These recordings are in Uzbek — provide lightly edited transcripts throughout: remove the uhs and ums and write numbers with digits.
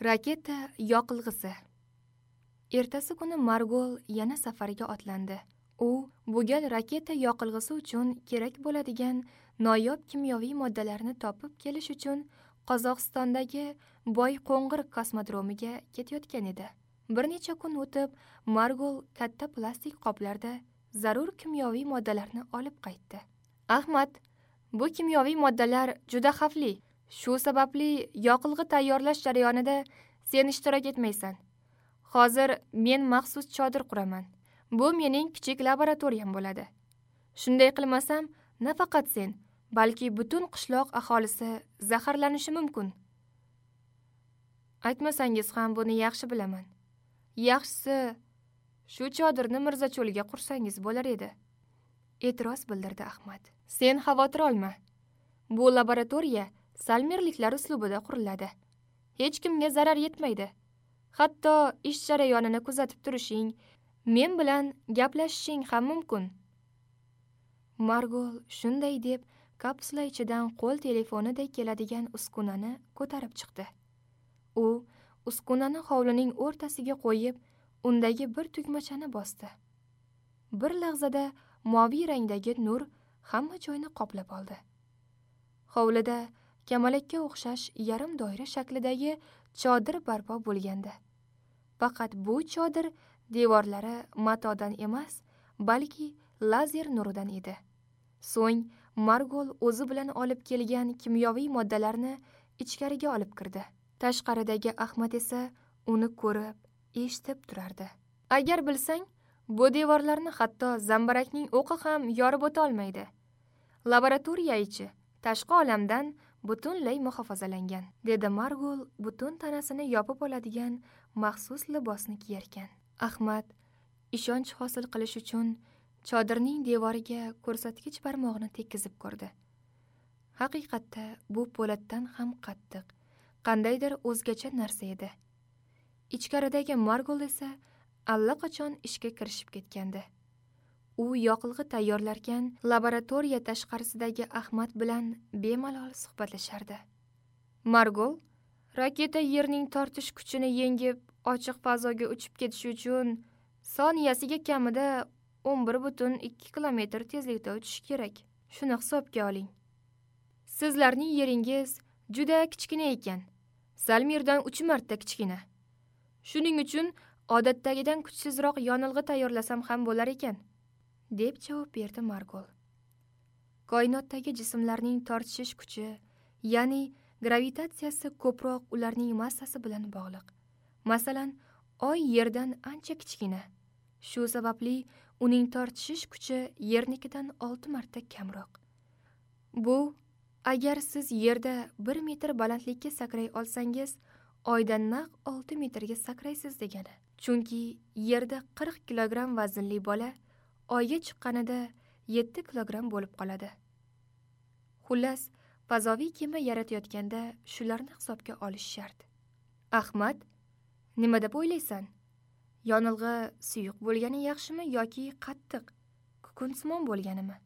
Raketa yoqilg'isi. Ertasi kuni Margol yana safarga otlandi. U bu gal raketa yoqilg'isi uchun kerak bo'ladigan noyob kimyoviy moddalarni topib kelish uchun Qozog'istondagi Boyqo'ng'ir kosmodromiga ketayotgan edi. Bir necha kun o'tib, Margol katta plastik qoplarda zarur kimyoviy moddalarni olib qaytdi. Ahmad, bu kimyoviy moddalar juda xavfli. Shu sababli yoqilg'i tayyorlash jarayonida sen ishtirok etmaysan. Hozir men maxsus chodir quraman. Bu mening kichik laboratoriyam bo'ladi. Shunday qilmasam, nafaqat sen, balki butun qishloq aholisi zaharlanishi mumkin. Aytmasangiz ham buni yaxshi bilaman. Yaxshisi, shu chodirni Mirzacho'lga qursangiz bo'lar edi, e'tiroz bildirdi Ahmad. Sen xavotir olma. Bu laboratoriya salmirliklar uslubida quriladi. Hech kimga zarar yetmaydi. Hatto ish jarayonini kuzatib turishing, men bilan gaplashishing ham mumkin. Margol shunday deb kapsula ichidan qo'l telefonidek keladigan uskunani ko'tarib chiqdi. U uskunani hovlining o'rtasiga qo'yib, undagi bir tugmachani bosdi. Bir lahzada moviy rangdagi nur hamma joyni qoplab oldi. Hovlida kamalakka o'xshash yarim doira shaklidagi chodir barpo bo'lgandi. Faqat bu chodir devorlari matodan emas, balki lazer nuridan edi. So'ng Margol o'zi bilan olib kelgan kimyoviy moddalarni ichkariga olib kirdi. Tashqaridagi Ahmad esa uni ko'rib, eshitib turardi. Agar bilsang, bu devorlarni hatto zambarakning o'qi ham yorib o'ta olmaydi. Laboratoriya ichi tashqi olamdan butunlay muhofazalangan, dedi Margol butun tanasini yopib oladigan maxsus libosni kiyarkan. Ahmad ishonch hosil qilish uchun chodirning devoriga ko'rsatkich barmog'ini tekkizib ko'rdi. Haqiqatda bu po'latdan ham qattiq, qandaydir o'zgacha narsa edi. Ichkaridagi Margol esa allaqachon ishga kirishib ketgandi. U yoqilg'i tayyorlarkan laboratoriya tashqarisidagi Ahmad bilan bemalol suhbatlashardi. Margol, raketa yerning tortish kuchini yengib, ochiq fazoga uchib ketishi uchun soniyasiga kamida 11.2 kilometr tezlikda uchishi kerak. Shuni hisobga oling. Sizlarning yeringiz juda kichkina ekan. Salmirdan 3 marta kichkina. Shuning uchun odatdagidan kuchsizroq yonilg'i tayyorlasam ham bo'lar ekan, deb javob berdi Margol. Koinotdagi jismlarning tortishish kuchi, ya'ni gravitatsiyasi ko'proq ularning massasi bilan bog'liq. Masalan, Oy Yerdan ancha kichkina. Shu sababli uning tortishish kuchi Yernikidan 6 marta kamroq. Bu, agar siz Yerda 1 metr balandlikka sakray olsangiz, Oydan naq 6 metrga sakraysiz degani. Chunki Yerda 40 kilogramm vaznli bola Oyga chiqqanida 7 kilogramm bo'lib qoladi. Xullas, fazoviy kema yaratayotganda shularni hisobga olish shart. Ahmad, nima deb o'ylaysan? Yonilg'i suyuq bo'lgani yaxshimi yoki qattiq, kukunsimon bo'lganimi?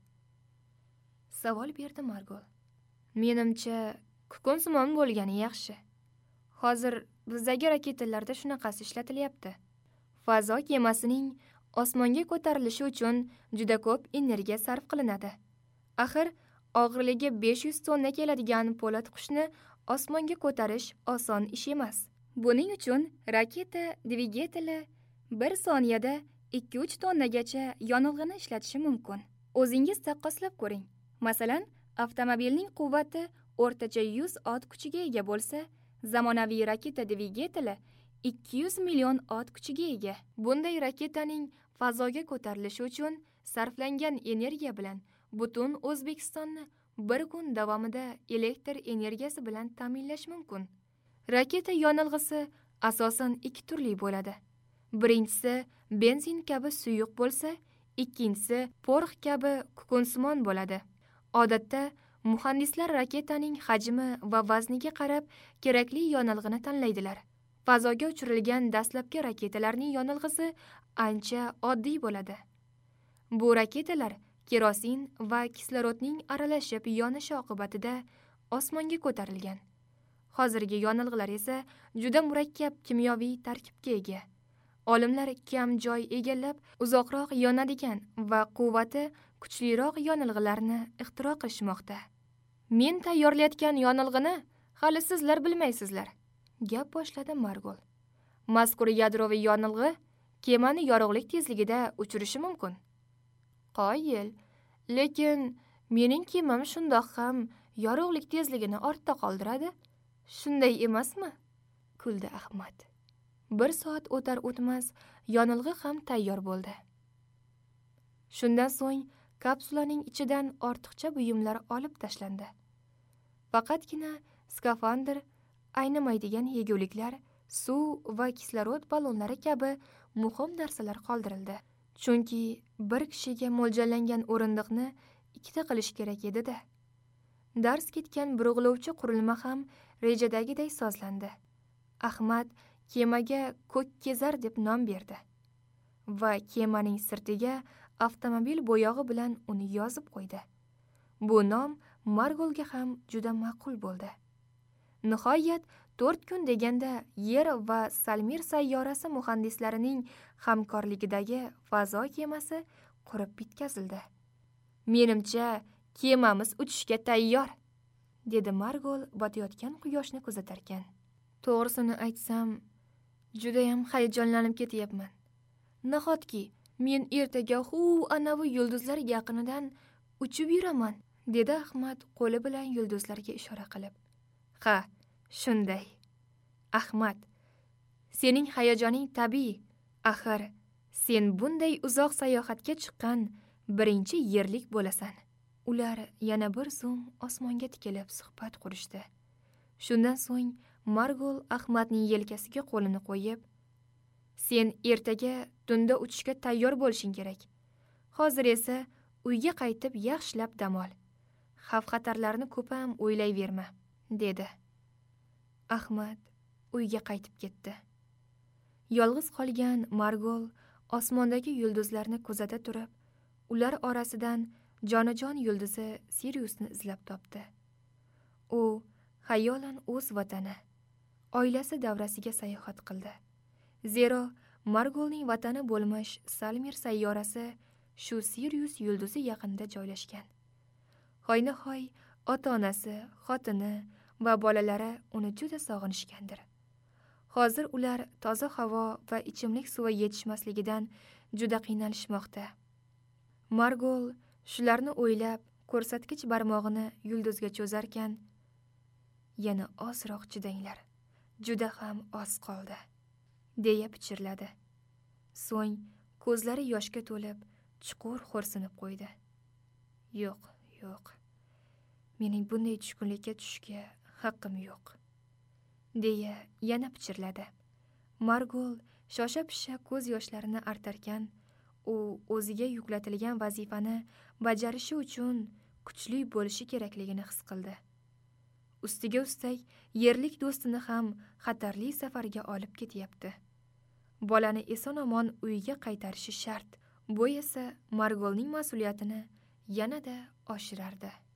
Savol berdi Margol. Menimcha, kukunsimon bo'lgani yaxshi. Hozir bizdagi raketalarda shunaqasi ishlatilyapti. Fazo kemasining osmonga ko'tarilishi uchun juda ko'p energiya sarf qilinadi. Axir, og'irligi 500 tonna keladigan po'lat qushni osmonga ko'tarish oson ish emas. Buning uchun raketa dvigateli 1 soniyada 2-3 tonnagacha yonilg'ini ishlatishi mumkin. O'zingiz taqqoslab ko'ring. Masalan, avtomobilning quvvati o'rtacha 100 ot kuchiga ega bo'lsa, zamonaviy raketa dvigateli 200 million ot kuchiga ega. Bunday raketaning fazoga ko'tarilishi uchun sarflangan energiya bilan butun O'zbekistonni bir kun davomida elektr energiyasi bilan ta'minlash mumkin. Raketa yonilg'isi asosan 2 turli bo'ladi. Birinchisi benzin kabi suyuq bo'lsa, ikkinchisi porox kabi kukunsimon bo'ladi. Odatda muhandislar raketaning hajmi va vazniga qarab kerakli yonilg'ini tanlaydilar. Fazoga uchirilgan dastlabki raketalarning yonilg'isi ancha oddiy bo'ladi. Bu raketalar kerosin va kislorodning aralashib yonishi oqibatida osmonga ko'tarilgan. Hozirgi yonilg'ilar esa juda murakkab kimyoviy tarkibga ega. Olimlar kam joy egallab, uzoqroq yonadigan va quvvati kuchliroq yonilg'ilarni ixtiro qilishmoqda. Men tayyorlayotgan yonilg'ini hali sizlar bilmaysizlar, gap boshladi Margol. Mazkur yadroviy yonilg'i kemani yorug'lik tezligida uchirishi mumkin. Qoyil, lekin mening kemam shundoq ham yorug'lik tezligini ortda qoldiradi. Shunday emasmi? Kuldi Ahmad. 1 soat o'tar o'tmas yonilg'i ham tayyor bo'ldi. Shundan so'ng kapsulaning ichidan ortiqcha buyumlar olib tashlandi. Faqatgina skafandr, aynimaydigan yeguliklar, suv va kislorod ballonlari kabi muhim narsalar qoldirildi. Chunki bir kishiga mo'ljallangan o'rindiqni ikkita qilish kerak edi-da. Dars ketgan burg'ulovchi qurilma ham rejadagiday sozlandi. Ahmad kemaga Ko'k kezar deb nom berdi va kemaning sirtiga avtomobil bo'yog'i bilan uni yozib qo'ydi. Bu nom Margolga ham juda ma'qul bo'ldi. Nihoyat 4 kun deganda Yer va Salmir sayyorasi muhandislarining hamkorligidagi fazo kemasi qurib bitkazildi. Menimcha, kemamiz uchishga tayyor, dedi Margol botayotgan quyoshni kuzatarkan. To'g'risini aytsam, juda ham hayajonlanib ketyapman. Nahotki men ertaga anavi yulduzlar yaqinidan uchib yuraman, dedi Ahmad qo'li bilan yulduzlarga ishora qilib. Ha, shunday. Ahmad, sening hayajoning tabiiy. Axir, sen bunday uzoq sayohatga chiqqan birinchi yerlik bo'lasan. Ular yana bir zum osmonga tikilib suhbat qurishdi. Shundan so'ng Margol Ahmadning yelkasiga qo'lini qo'yib, "Sen ertaga tunda uchishga tayyor bo'lishing kerak. Hozir esa uyga qaytib yaxshilab dam ol. Xavf-xatarlarni ko'p ham o'ylayverma", dedi. Ahmad uyga qaytib ketdi. Yolg'iz qolgan Margol osmondagi yulduzlarni kuzata turib, ular orasidan jonajon yulduzi Siriusni izlab topdi. U xayolan o'z vatani, oilasi davrasiga sayohat qildi. Zero Margolning vatani bo'lmish Salmir sayyorasi shu Sirius yulduzi yaqinida joylashgan. Hoynahoy ota-onasi, xotini va bolalari uni juda sog'inishgandir. Hozir ular toza havo va ichimlik suvi yetishmasligidan juda qiynalishmoqda. Margol shularni o'ylab, ko'rsatkich barmog'ini yulduzga cho'zarkan, "Yana ozroq chidanglar, juda ham oz qoldi", deya pichirladi. So'ng ko'zlari yoshga to'lib, chuqur xo'rsinib qo'ydi. "Yo'q, yo'q. Mening bunday tushkunlikka tushishga haqqim yo'q", deya yana pichirladi. Margol shosha-pisha ko'z yoshlarini artarkan, u o'ziga yuklatilgan vazifani bajarishi uchun kuchli bo'lishi kerakligini his qildi. Ustiga ustak yerlik do'stini ham xatarli safarga olib ketyapti. Bolani eson-omon uyga qaytarishi shart. Bu esa Margolning mas'uliyatini yanada oshirardi.